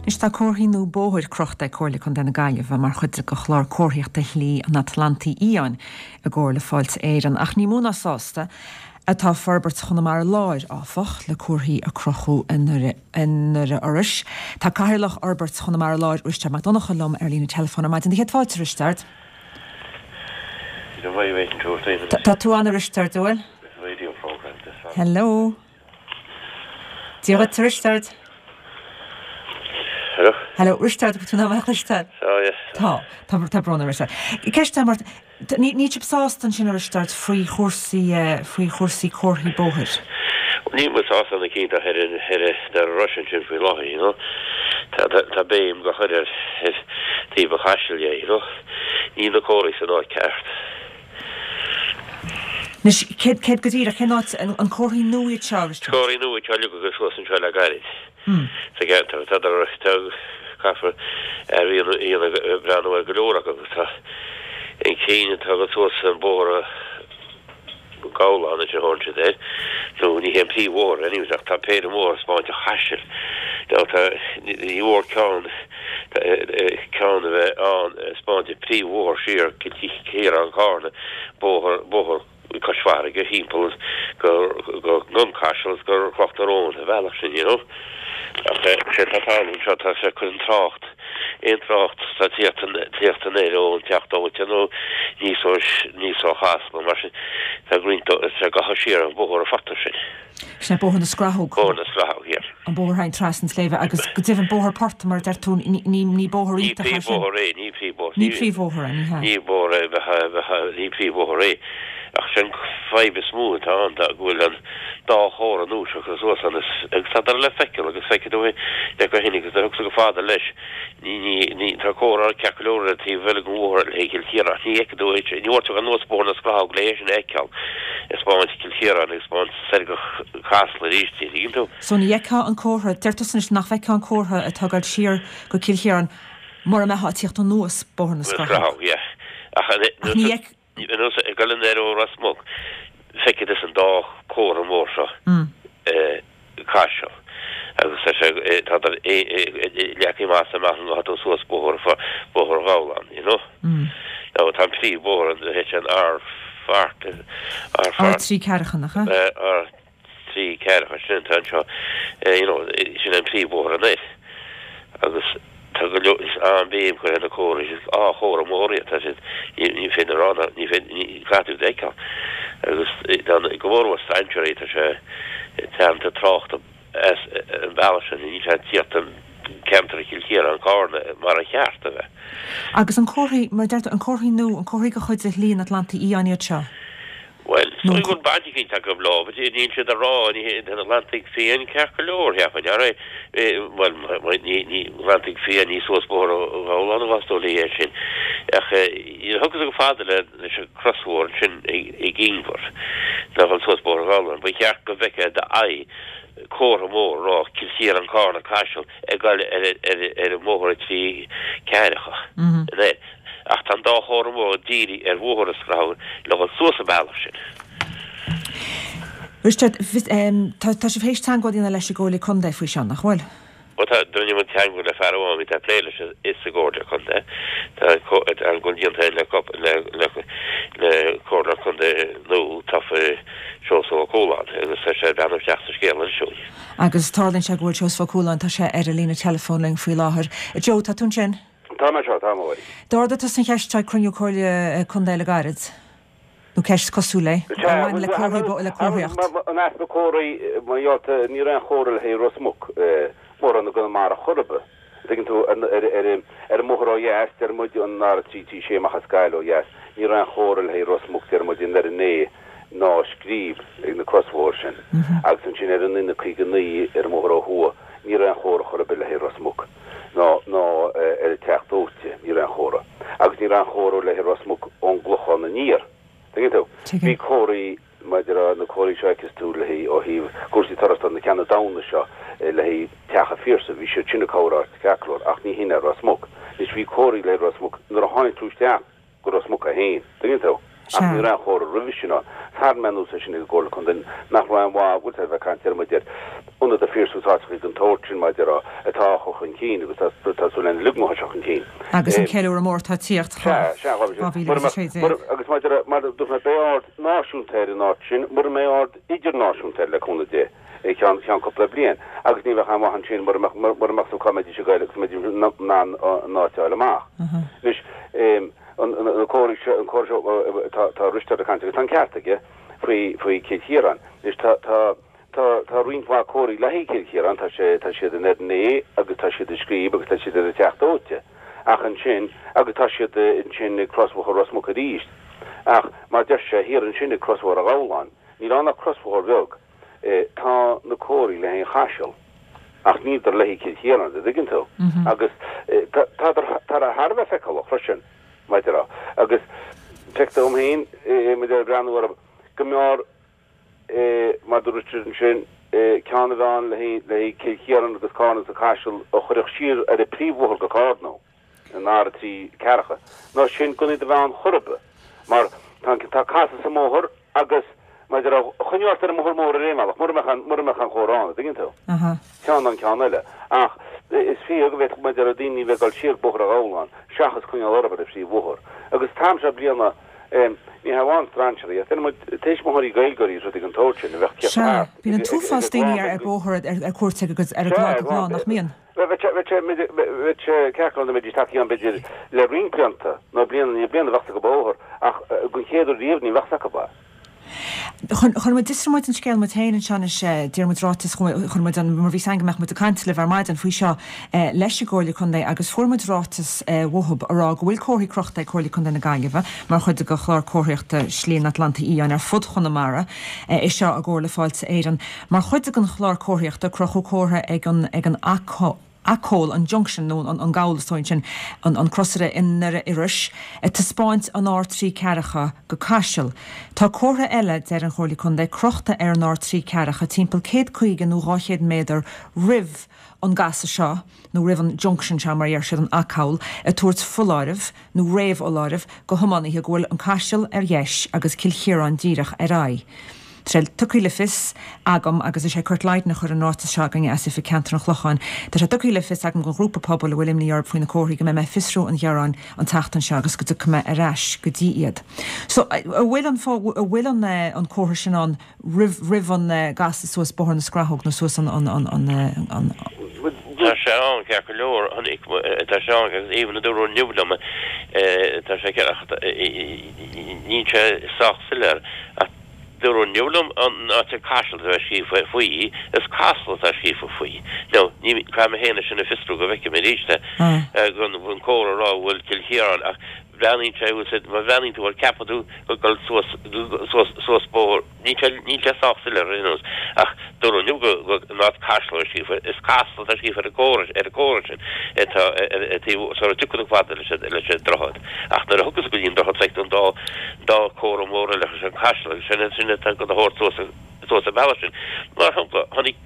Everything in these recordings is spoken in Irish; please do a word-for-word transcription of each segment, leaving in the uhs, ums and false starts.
Anois tá comharthaí nua bóthair crochta ag Comhairle Contae na Gaillimhe mar chuid de chlár comharthaíochta Shlí an Atlantaigh Fhiáin i gcomhar le Fáilte Éireann, ach ní mó ná sásta atá Forbairt Chonamara Láir, áfach, le comharthaí a crochadh i nDoire Iorrais. Tá Cathaoirleach Fhorbairt Chonamara Láir, Risteard Mac Donncha, liom ar líne teileafóin ar maidin. Céad fáilte, Risteard. Tá tú ann, a Risteard, bhfuil? Hello. Dia duit, Risteard. Hello. Hello, Risteard, tú ná Risteard. Tá tá tá brón Risteard. Ceist mar ní sibh sásta ansin, a Risteard, faoi chúrsaí faoi chúrsaí comharthaí bóthair. Ní mu sásta na cínta there Russian sin faoi láthair, you know. Tá béim go chuir ar taobh an Chaisil dhe, you know. Ní na comharthaí san áit ceart. Anois céard céard go díreach cén áit an comharthaí nua iad seo Risteard? Comharthaí nua atá leagtha go suas anseo le gairid. Sa gceantar tá caithfear ar breathnú ar go leor acu agus tá an cinn atá go suas an bóthar Gabhlán a thógann siad air nó ní hé an príomhbhóthar anyways ach tá péire mór ag spáint an Chaisil. Now tá ní mhór ceann ceann a bheith ann ag spáint an príomhbhóthar siar Cill Chiaráin Carna bóthar bóthar cois farraige timpeall go go an Caiseal agus go Cloch na Rón a bhealach sin you know. Ach sé tá tarlú anseo tá sé chun an trácht aon trácht tá tíocht tíocht anoir ón Teach Dóite nó níos ó níos ó Chasla mar sin tá roinnt sé go siar an bóthar a phortach sin. Sin é bóthar na Scrathóg. Bóthar na Scrathóg, yeah. An bóthar hain trasna an tsléibhe agus go deimhin bóthar port mar deir tú ní ní bóthar Ní iontach é sin. príomhbhóthar é, ní príomhbhóthar. Ní príomhbhóthar é, ní hea. Ní bóthar é bheith ní príomhbhóthar é. Ach sin fadhb is mó atá ann tá go bhfuil an dá chomhartha nua seo curtha suas ann agus tá dar le feiceáil agus feicfidh tú é le go héin agus thug go fada leis ní ní ní tá comhartha ceart go leor ar taobh eile den bhóthar le Cill Chiaráin ní fheicfidh tú é ní bhfuil tú anuas bóthar na Scrathóg le é sin a fheiceáil ag spáint Cill Chiaráin ag spáint soir go Casla arís tuigeann tú. So ní fheicfeá an comhartha deir tú anois nach bhfeicfeá an comhartha atá ag dul siar go Cill Chiaráin mura mbeifeá ag tíocht anuas bóthar na Na Scrathóg. Scrathóg, yeah. Ach Ach ní fheic anuas ag dul anoir ó Ros Muc feicfidh tú an dá chomhartha mór seo Caiseal agus tá sé tá leagtha amach amach an tú suas bóthar bóthar Ghabhlán, you know. Now tá an príomhbhóthar an hit an R fart R R fart trí ceathracha nach ea? R trí ceathracha sin tá anseo you know sin an príomhbhóthar anois agus tá go leor is an-bhéim curtha ar na comharthaí á chomhartha mór iad tá siad ní ní féidir rá ní féidir ní caithfidh tú fheiceáil agus tá go mór mór strainséirí tá sé teannta tráchta as an bealach sin ní sé tíocht an ceantar Chill Chiaráin Carna mar a cheart a bheith. Agus an comharthaí mar deir tú an comharthaí nua an comharthaí de chuid de Shlí an Atlantaigh Fhiáin iad seo. Well Nó so go baidir go lá, níl siad a rá ní an Atlantaigh Fiáin ceart go leor cheapfainn ar well ní ní Atlantaigh Fiáin ní suas bóthar Ghabhlán bhastó é sin ach thug go fada le leis an crosbhóthar sin ag Inbhar le an suas bóthar Ghabhlán, ba cheart go bhfeicfeá d'aghaidh comhartha mór rá Cill Chiaráin Carna Caiseal ag dul ar ar ar an mbóthar trí ceathracha. Ach tá an dá chomhartha mór dírithe ar bhóthar na Scrathóg le dhul suas an bealach sin. Risteard tá tá sibh théis teagmháil a dhéanamh leis an gComhairle Contae faoi seo nach bhfuil? Well tá rinne muid teagmháil le fear amháin tá plé leis is sa gComhairle Contae Tá an gon déanta le le le le Comhairle Contae nó tá Seosamh Ó Cualáin agus tá sé breathnú isteach sa scéal anseo. Agus tarlaíonn sé go bhfuil Seosamh Ó Cualáin tá sé ar an líne teileafóin linn faoi láthair. Joe tá tú ansin? Tá mé seo tá mór. D'ardaigh tusa an cheist ag cruinniú Comhairle Contae le gairid. Nó ceist cosúil léi bhain le comharthaí le comharthaíocht. An easpa comharthaí mar gheall ní raibh aon chomhartha le haghaidh Ros Muc mórán na Conamara chorba. Tuigeann tú ar ar an mbóthar ó dheas deir muid an R trí trí sé amach as Gaillimh ó dheas, ní raibh aon chomhartha le haghaidh Ros Muc deir muid in ar an é ná scríb ag na crosbhóthar sin. Agus ansin ar an N caoga naoi ar an mbóthar ó thuaidh, ní raibh aon chomhartha chor ar bith le haghaidh Ros Muc ná ná ar an Teach Dóite ní raibh aon chomhartha. Agus ní raibh aon chomhartha le haghaidh Ros Muc ón gClochán aniar. Tuigeann tú? Bhí comharthaí maidir na comharthaí seo fheiceas tú le haghaidh ó thaobh cúrsaí turasóireachta na ceanna damhna seo le haghaidh Teach an Phiarsaigh, bhí siad sin ag cabhair ceart go leor ach ní hin ar Ros Muc. Anois bhí comharthaí le Ros Muc nuair a tháinig tú isteach go Ros Muc é féin. Tuigeann tú? Ach ní raibh aon chomhartha roimhe sin ann. Tharraing mé anuas é sin ag an gComhairle Contae nach raibh aon mhaith, bhfuil a bheith ag caint ar muid ar ionad a fíorshúsáideach den tsórt sin maidir a atá á chur chun cinn agus tá súil lena ligean seo chun cinn. Agus an ceiliúradh mór atá ag tíocht Sea, dhá mhíle is a sé déag. Agus maidir a, mar a dúirt mé, beidh aird náisiúnta ar an áit sin, mura mbeidh aird idirnáisiúnta air le cúnamh Dé i gceann ceann cúpla bliain. Agus ní bheadh aon mhaith ansin mura mbeadh mura mbeadh sa cá mbeidís ag goil agus mbeidís in ann an áit a fháil amach. Anois, an an comhartha seo, an comhartha seo tá tá Risteard ag caint agus tá an ceart aige faoi faoi Cill Chiaráin. Anois tá tá tá tá roinnt mhaith comharthaí le haghaidh Cill Chiaráin, tá sé tá siad in Errinea agus tá siad i Scríb agus tá siad ar an Teach Dóite. Ach ansin, agus tá siad ansin ag crosbhóthar Ros Muc arís. Ach mar deir sé, thiar ansin ag crosbhóthar an Ghabhláin, níl ann ach crosbhóthar bheag, tá na comharthaí le haghaidh an Chaisil, ach níltear le haghaidh Cill Chiaráin, an dtuigeann tú? Agus tádar thar a bheith feiceálach freisin, maidir a, agus feictear dom féin, maidir le breathnú orthu, go mb'fhearr, mar dúirt Richard ansin, ceann a bheith ann le haghaidh Cill Chiaráin agus Carna agus an Caiseal a chuirfeadh siar ar an bpríomhbhóthar go Carna, an R a trí ceathracha, ná sin gan iad a bheith ann chor ar bith, mar tá tá casadh sa mbóthar agus maidir a choinneáil ort ar an mbóthar mór ar aon bhealach, mura mbeadh an mura mbeadh an chomhartha ann, an dtuigeann tú? Ceann nó an ceann eile. Ach is fíor go bhféadfadh maidir le daoine a bheith ag dul siar Bóthar an Ghabhláin seachas coinneáil orthu ar an phríomhbhóthar. Agus an t-am seo bliana, ní hamháin strainséirí ach deir muid tuismitheoirí Gaeilgeoirí is rudaí den tsórt sin a bheadh Sea, thart bíonn an t-uafás daoine ar ar bóthar ar cuairt ag ar Sea, lá go lá, nach mbíonn? Bheadh sé bheadh sé bheadh sé ceart go leor dá mbeidís tagtha ann b'fhéidir le roinnt blianta nó bliain i ndiaidh bliana bheadh acu bóthar ach den chéad uair riamh ní bheadh acu é. Chuir muid d'fhiosraigh muid an scéal muid féin anseo anois, d'iarr muid ráiteas, chuir muid an, mar bhí 's againn go mbeadh muid ag caint libh ar maidin faoi seo leis an gComhairle Contae agus fuair muid ráiteas uathub a rá go bhfuil comharthaí crochta ag Comhairle Contae na Gaillimhe mar chuid de chlár comharthaíochta Slí an Atlantaigh Fhiáin ar fud Chonamara, é seo i gcomhar le Fáilte Éireann. Mar chuid den chlár comharthaíochta crochadh comhartha ag an ag an acomhal, an junction nó an gabhal is dóigh ansin, an crosaire i nDoire Iorrais, ag taispeáint an R trí ceathracha go Caiseal. Tá comhartha eile, deir an Chomhairle Contae, crochta ar an R trí ceathracha timpeall céad caoga nó dhá chéad méadar roimh an gcasadh seo, nó roimh an junction seo mar a deir siad, an acomhal, ag tabhairt foláireamh, nó réamhfholáireamh, do thiománaithe go bhfuil an Caiseal ar dheis agus Cill Chiaráin díreach ar aghaidh. Tá sé tugtha le fios agam, agus is é Kurt Lydon a chuir an ráiteas seo againne as Oifig Ceantair an Chlocháin, tá sé tugtha le fios agam don ghrúpa pobail a bhfuil imní orthu faoi na comharthaí go mbeidh mé ag fiosrú an ghearáin an tseachtain seo agus go dtiocfaidh mé ar ais go dtí iad. So, an bhfuil an an bhfuil an an comhartha sin ann roimh roimh an gcasadh suas Bóthar na Scrathóg nó suas an an an an an Tá sé ann ceart go leor, tá sé ann agus even a dúradh inniu liom tá sé ceart ach níl sé sách soiléir ach Dúradh inniu liom an áit ar Caiseal atá scríofa faoi, is Casla atá scríofa faoi. Now, ní, caithfidh mé féin é sin a fiosrú go bhfeicfidh mé arís é, gan an comhartha a rá go bhfuil Cill Chiaráin ach breathnaíonn sé, bhfuil sé, má bhreathnaíonn tú air ceapfaidh tú gur dul suas, suas, suas bóthar, níl sé, níl sé sách soiléir ar aon nós ach dúradh inniu go, go, an áit Caiseal atá scríofa, is Casla atá scríofa ar an gcomhartha, ar an gcomhartha sin atá ar, ar taobh, sara dtiocfaidh tú fada leis an, leis an droichead. Ach nuair a thiocfas tú go dtí an droichead feicfidh tú an dá, dá comhartha mór eile agus an Caiseal agus sin sin atá ag tabhairt suas suas an bealach sin. Mar shampla, tháinig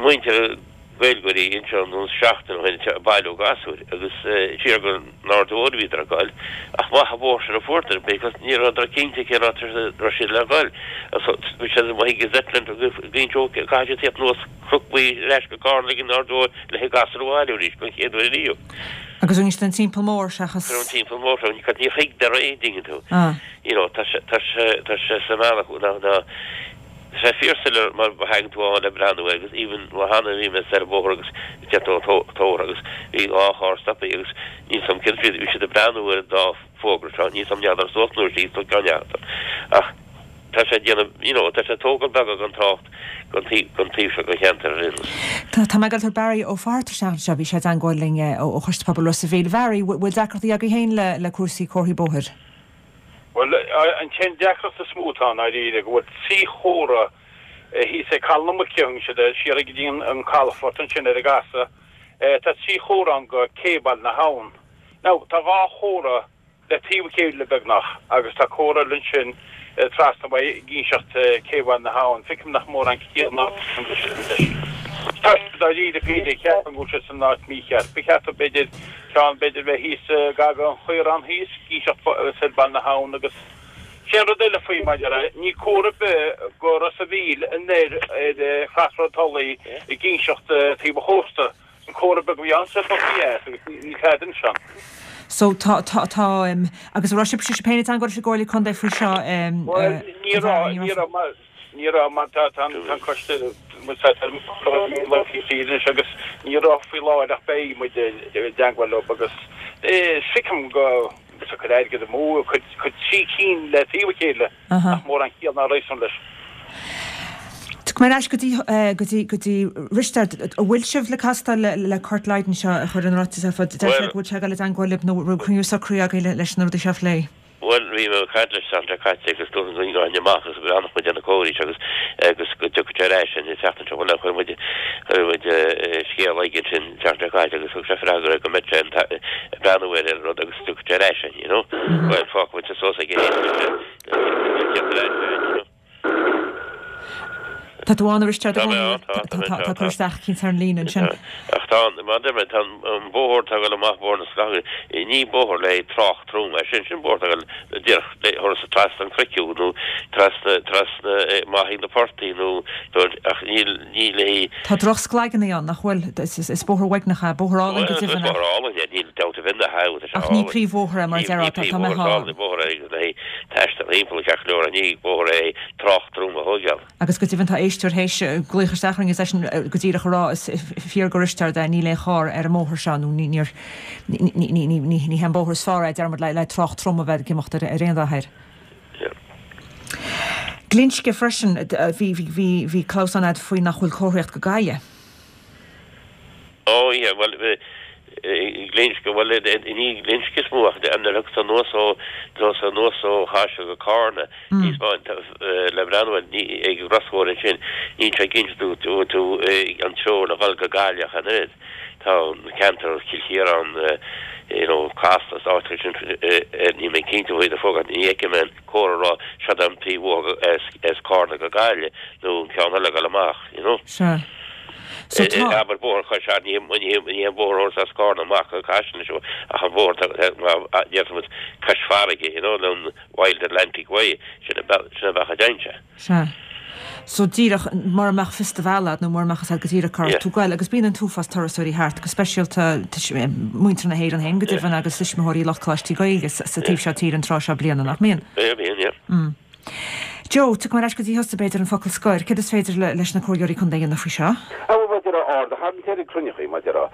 muintir Gaeilgeoirí anseo nó seachtain ó shin ag bailiú gasúir agus siar go an Aird Mhóir a bhíodar ag goil ach maith an bóthar sin a fuaireadar because ní rabhadar cinnte cén áit a raibh siad le goil. So bhí siad amuigh ag Zetland agus ag inse caithfidh siad tíocht anuas Cnoc Buí ar ais go Carna ag an Aird Mhóir le gasúir a bhailiú arís don chéad uair ariamh. Agus rinne siad an timpeall mór seachas. An timpeall mór seo, níor thuig dar aon dtuigeann tú. You know, tá sé, tá sé, tá sé sa mbealach, ná, ná, tá sé fíorsoiléir má thagann tú ann le breathnú air agus even lá cheana bhí mé ar an bhóthar agus deir tú an t-ór agus bhí dhá charr stoptha agus níl 's a'm céard bhí siad ag breathnú ar an dá fógra seo, níl 's a'm n'fheadar suas nó síos nó ceann n'fheadar. Ach tá sé ag déanamh, you know, tá sé ag tógáil beagán den trácht den taobh, den taobh seo den cheantar ar aon nós. Tá, tá mé ag dul tabhairt Barry Ó Fátharta isteach anseo, bhí sé i dteangmháil linn ó ó Choiste Pobail Ros a' Mhíl. Bharry, bhfuil deacrachtaí agaibh féin le le cúrsaí comharthaí bóthair? Bhuel, an t-aon deacracht is mó atá ann dáiríre go bhfuil trí chomhartha thíos ag Caladh na Muice, thugann siad air, siar go dtí an calafort ansin ar an gcasadh. Tá trí chomhartha ann go Cé Bhaile na hAbhann. Now, tá dhá chomhartha le taobh a chéile beagnach agus tá comhartha eile ansin trasna uaidh ag inseacht Cé Bhaile na hAbhann. Feicim nach mórán ciall ná leis. Tá siad dáiríre píre, ceapaim go bhfuil siad san áit mícheart. Ba cheart dóibh b'fhéidir ceann b'fhéidir bheith thíos gar don chaorán thíos, ag inseacht soir Baile na hAbhann agus Sé an rud eile faoi mar a déarfá, ní comhartha ar bith go Ros a' Mhíl anoir ar Chlasra Tulaí ag inseacht taobh an chósta. An comhartha beag a bhí ann sa bpoc dheas agus níl tada ansin. So tá tá tá agus an raibh sibh sibh féin i dteangmháil leis an gComhairle Contae faoi seo? Bhuel ní raibh ní raibh mar ní raibh mar tá tá an coiste anois agus ní raibh faoi láthair ach beidh muid i dteangmháil leo agus feicim go ag cur airgead amú cur cur trí cinn le taobh a chéile nach mórán ciall ná réasún leis. Tiocfaidh mé ar ais go dtí, go dtí, go dtí Risteard. An bhfuil sibh le castáil le Kurt Lydon seo a chuir an ráiteas ar fáil? Deir sé go bhfuil sé ag dul i dteangmháil libh nó an raibh cruinniú socraithe agaibh leis na rudaí seo a phlé? Bhuel, bhí mé ag caint leis an tseachtain seo caite agus dúirt an duine amach agus go mbreathnódh muid ar na comharthaí seo agus agus go dtiocfadh sé ar ais an tseachtain seo. Bhuel, chuir muid, chuir muid scéal aige ansin an tseachtain seo caite agus thug sé freagra go mbeadh sé ag breathnú ar an rud agus tiocfaidh sé ar ais, you know. Bhuel, fágfaidh muid suas aige féin le teacht ar ais, you know. Tá tú ann a Risteaird Tá mé ann, tá, tá mé Tá anseo, cur tá. isteach eicínt ar an líne ansin. Ach tá an, mar a deir mé, tá an bóthar atá ag dul amach Bóthar na Scagairí, ní bóthar le trácht trom é sin, sin bóthar atá ag dul díreach le thuras trasna an Chnoic nó trasna, trasna amach ag na portaigh nó, ach níl, ní le haghaidh. Tá drochsclaigeanna ann, nach bhfuil? Is bóthar uaigneach é, bóthar álainn go Bhuel, is deimhin bóthar álainn é, níl dabht ar bith ina thaobh, tá sé Ach ní álainn. príomhbhóthar é, mar a Ní, déarfá, ní tá, tá príomhbhóthar, mé is álainn bóthar é le haghaidh taisteal thimpeall ceart go leor, ach ní bóthar é trácht trom a thóigeáil. Agus go deimhin tá éisteoir théis glaoch isteach orainn is eisean go díreach a rá is fíor do Risteard é níl aon charr ar an mbóthar seo nó ní ní ní ní ní ní hé an bóthar is fearr é deir muid le le trácht trom a bheith ag imeacht ar ar aon dath air. Glinsce freisin bhí bhí bhí bhí clamhsán agat faoi nach bhfuil comharthaíocht go Gaillimh. Ó yeah bhuel Glinsce bhuel ní Glinsce is mó ach nuair a thug tú anuas ó tusa anuas ó Chaiseal go Carna níos mó le breathnú air ní ag an gcrosbhóthar ansin níl sé cinnte tú tú tú an treo le dhul go Gaillimh ach an oiread. Tá an ceantar Chill Chiaráin you know Casla is áiteacha sin níl mé cinnte faoi do fógra ní fheicim aon comhartha a rá seo an príomhbhóthar as as Carna go Gaillimh nó an ceann eile ag dul amach you know. Sea. So tá. Abair bóthar Chois Fharraige ní ní ní an bóthar as Carna amach go Caiseal seo ach an bóthar déarfaimid cois farraige you know an Wild Atlantic Way sin a sin a bheadh a deinse. Sea. So díreach mura mbeadh fios do bhealaigh agat nó mura mbeadh fhios agat go díreach cá raibh tú ag goil agus bíonn an t-uafás turasóirí thart go speisialta muintir na hÉireann féin go deimhin agus tuismitheoirí lucht coláistí Gaeilge sa taobh seo tíre an tráth seo bliana nach mbíonn? Bíonn, yeah. Joe, tiocfaidh mé ar ais go dtí thusa b'fhéidir an focal scoir. Céard is féidir leis na comhairleoirí contae a dhéanamh faoi seo? Á bhuel mar a déarfá aird a tharraingt air ag cruinneachaí mar a déarfá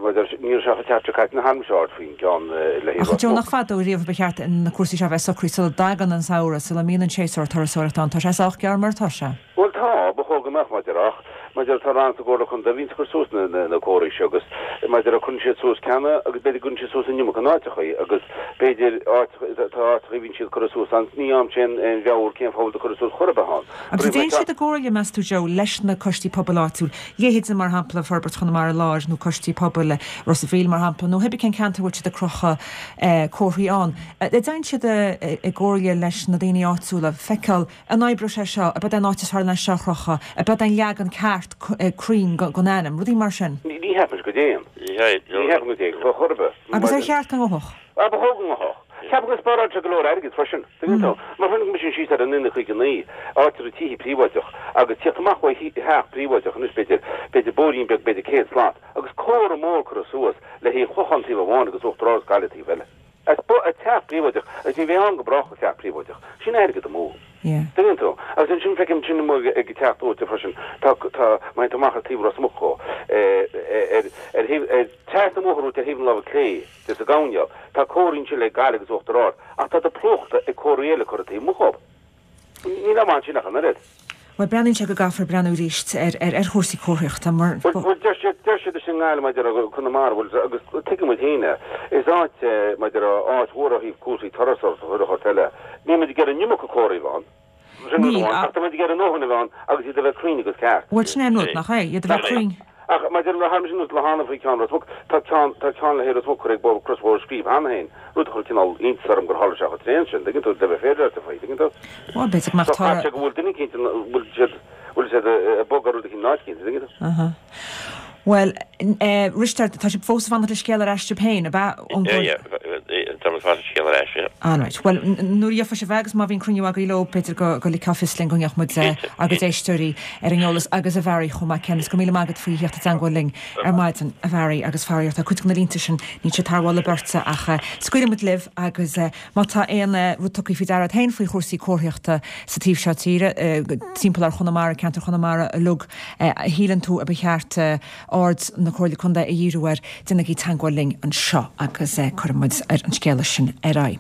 mar a déarfá ní raibh sé chomh tearc caite na tharraing sé aird faoin gceann le Ach Joe, nach fada ó riamh ba cheart na cúrsaí seo a bheith socraithe sula dtagann an samhradh, sula mbíonn an séasúr turasóireachta ann. Tá sé sách gearr mar atá sé. Bhuel tá, ba chóir go mbeadh mar a déarfá ach mar a déarfá tá rannta i gComhairle Contae a bhíonns ag cur suas na na comharthaí seo agus mar a déarfá cuireann siad suas ceanna agus b'fhéidir go gcuireann siad suas an iomarca in áiteachaí agus b'fhéidir áiteacha tá áiteachaí a bhíonn siad curtha suas ann ní fhaighimse aon aon mheabhair cén fáth a bhfuil curtha suas chor ar bith ann. Agus an dtéann siad i gcomhairle, meas tú Joe, leis na coistí pobail áitiúil, leithéide mar shampla Forbairt Chonamara Láir nó coistí pobail Ros a' Mhíl mar shampla nó cibé cén ceantar a bhfuil siad ag crochadh comharthaí ann. An dtéann siad i gcomhairle leis na daoine áitiúla feiceáil an oibreoidh sé seo, ab é an áit is fearr leis seo a chrochadh, ab é an leagan ceart cruinn den ainm, rudaí mar sin. Ní cheapaim go dtéann. Ní cheapaim go dtéann, chor ar bith. Agus ar cheart go ngabhfadh? Á, ba chóir go ngabhfadh. Ceapaim go spáráil sé go leor airgid freisin, tuigeann tú. Mar tháinig mise síos ar an N caoga naoi, áit a raibh tithe príobháideach, agus tíocht amach ó theach príobháideach anois b'fhéidir, b'fhéidir bóithrín beag, b'fhéidir céad slat, agus comhartha mór curtha suas le haghaidh an Chlocháin taobh amháin agus Uachtar Ard Gaillimh taobh eile. As teach príobháideach, agus ní bheidh ann go brách go teach príobháideach. Sin airgead amú. Tuigeann tú? Agus ansin feicim sin amuigh ag teach dóite freisin. Tá, tá, má théann tú amach ar taobh Ros Muc dhó, ar, ar thaobh, ar trasna an bhóthair uait ar thaobh na láimhe clé de sa gcoirnéal, tá comharthaí ansin le Gaillimh agus Uachtar Ard, ach tá siad plúchta ag comharthaí eile curtha taobh amuigh dhób. Níl am ansin ach an oiread. Bhuel, breathnaíonn sé go gcaithfear breathnú arís ar ar chúrsaí comharthaíochta mar. Bhuel, deir siad, deir siad i nGaillimh maidir le Conamara, bhuel, agus tuigeann muid féin é, is áit é, maidir le áit mhór ó thaobh cúrsaí turasóireachta chuile shórt eile. Níl muid ag iarraidh an iomarca comharthaí a bheith ann. Sin rud amháin, ach tá muid ag iarraidh a ndóthain a bheith ann agus iad a bheith cruinn agus ceart. Bhuel, sin é an rud, nach é? Iad a bheith cruinn. Ach maidir le tharla sin le hAnna faoi cheann Ros Muc, tá ceann, tá ceann le haghaidh Ros Muc curtha ag bóthar Crosbhóthar Scríb cheana féin, rud a chuir cineál iontas orm gur tharla sé chomh tréan sin, dtuigeann tú, le bheith féaráilte faoi, dtuigeann tú. Bhuel, b'fhéidir go mbeadh So chaithfidh sé go bhfuil duine eicínt, bhfuil siad, bhfuil siad ag bogadh rud eicínt in áit eicínt, dtuigeann tú. Aha. Bhuel, eh, Risteard, tá sibh fós ag fanacht le scéal ar ais sibh féin, ab ea? Yeah, yeah, tá Cuirfidh muid an scéal ar ais, yeah. Alright. Bhuel, nuair a gheofas sibh é agus má bhíonn cruinniú agaibh leo, b'fhéidir go go ligfeá fios linn go mbeadh muid ár gcuid éisteoirí ar an eolas agus a Bharry chomh maith céanna. Is go raibh míle maith agat faoi theacht i dteangmháil linn ar maidin, a Bharry, agus faraor tá cuid de na línte sin, níl siad tar bháil le beirte ach scaoilfidh muid libh agus má tá aon rud tugtha faoi deara agat féin faoi chúrsaí comharthaíochta sa taobh seo tíre, timpeall ar Chonamara, ceantar Chonamara uilig, a shíleann tú a ba cheart aird na Comhairle Contae a dhíriú air, déanaigí teangmháil linn anseo agus cuirfidh muid ar an scéala sin ar aghaidh.